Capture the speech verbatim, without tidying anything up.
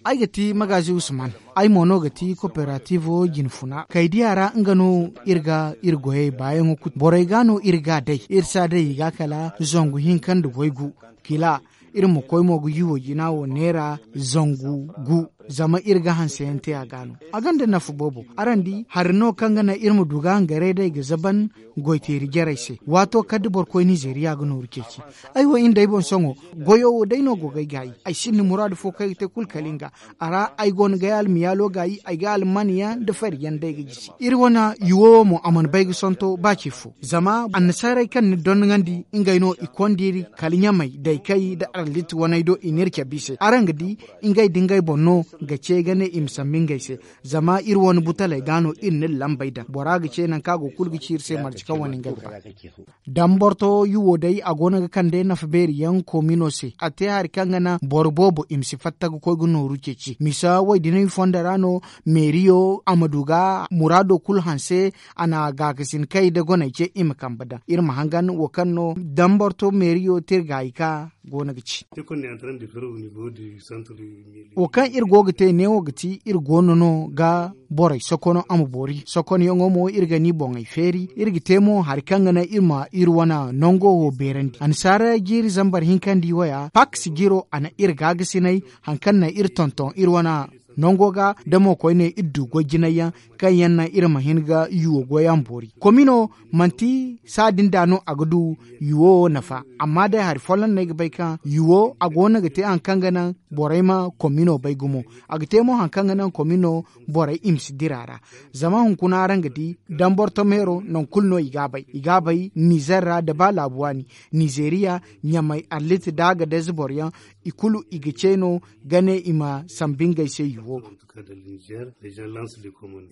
Ay ga ti magaazi usman. Ay mo no ga ti koperatiivo jinfuna kaydiya ra nga no iri ga iri goyey baayaŋo kulu borey ga no iri ga a day iri si a day i ga kala zangu hinka nda waygu kila. Iri ma koy mo ga yuwo jina wo neera zangu gu. Zama iri ga hanseyaŋ te a ga no a gonda nafa boobo. Araŋ di hari no kaŋ ga naŋ iri ma du ga hangaray day ga zaban goyteeri jarey se waato kala da boro koy nizeriya ga nooru ceeci. Ay wo iri nd'ay boŋ sohõ goyo wo day no go ga ay gaayi. Ay sinda muraadu fo kaŋ ay ga te kulu kala nga. A ra ay go no ga ay almiyaalo gaayi ay ga alman yaŋ nda fari yaŋ day ga jisi iri wane yuwo wo mo a mana bay ga sonto ba ce fo. Zama annasaarey kaŋ ni donŋandi ngey no i konda iri kala ɲamey daykey nda arlit waney do i n'iri cabe i se araŋ ga di. Ngey da ngey boŋ no ga ce ga ne i ma sambu ngey se. Zama iri wane butaley ga no iri n'iri lambey daŋ bora ga ce nangu kaŋ a go kulu ga ci iri se marje kaŋ wane nga ga ba. Damborto yuwo day a go no ga kande nafa beeri yaŋ komino se a te hari kaŋ ga naŋ boro boobo i ma si fatta ga koy ga nooru ceeci misa woy dinay fondo ra no. Meeriyo a ma du ga muraado kulu hanse. A na gaakasin kay nda goney ce i ma kambe daŋ iri ma hangan wo kaŋ no damborto meeriyo te iri gaayi ka go no ga ci. Wo kaŋ iri go ga te neewo ga ti iri go no no ga borey sokono a ma boori sokono yaŋo mo iri ga ni boŋey feeri iri ga te mo hari kaŋ ga naŋ iri ma iri wane nango wo beerandi annasaara jiiri zambar hinka nda i waya paks jiro a na iri gaagasinay. Hari kaŋ naŋ iri tonton iri wane nango ga da mo koyne iri du goy jinay yaŋ kaŋ yaŋ naŋ iri ma hin ga yuwo goy a ma boori komino manti saadin da no a ga du yuwo wo nafa. Amma day hari folloŋ no ay ga bay kaŋ yuwo a go no ga te hari kaŋ ga naŋ borey ma komino bay gumo. A ga te mo hari kaŋ ga naŋ komino borey i ma si dira ra. Zama hunkuna araŋ ga di damborto meero nangu kulu no i ga a bay i ga a bay nizer ra nda ba laabu waani nizeeriya ɲamey arlit da a ga dayze boro yaŋ i kulu i ga ce no ga ne i ma sambu ngey se yuwo.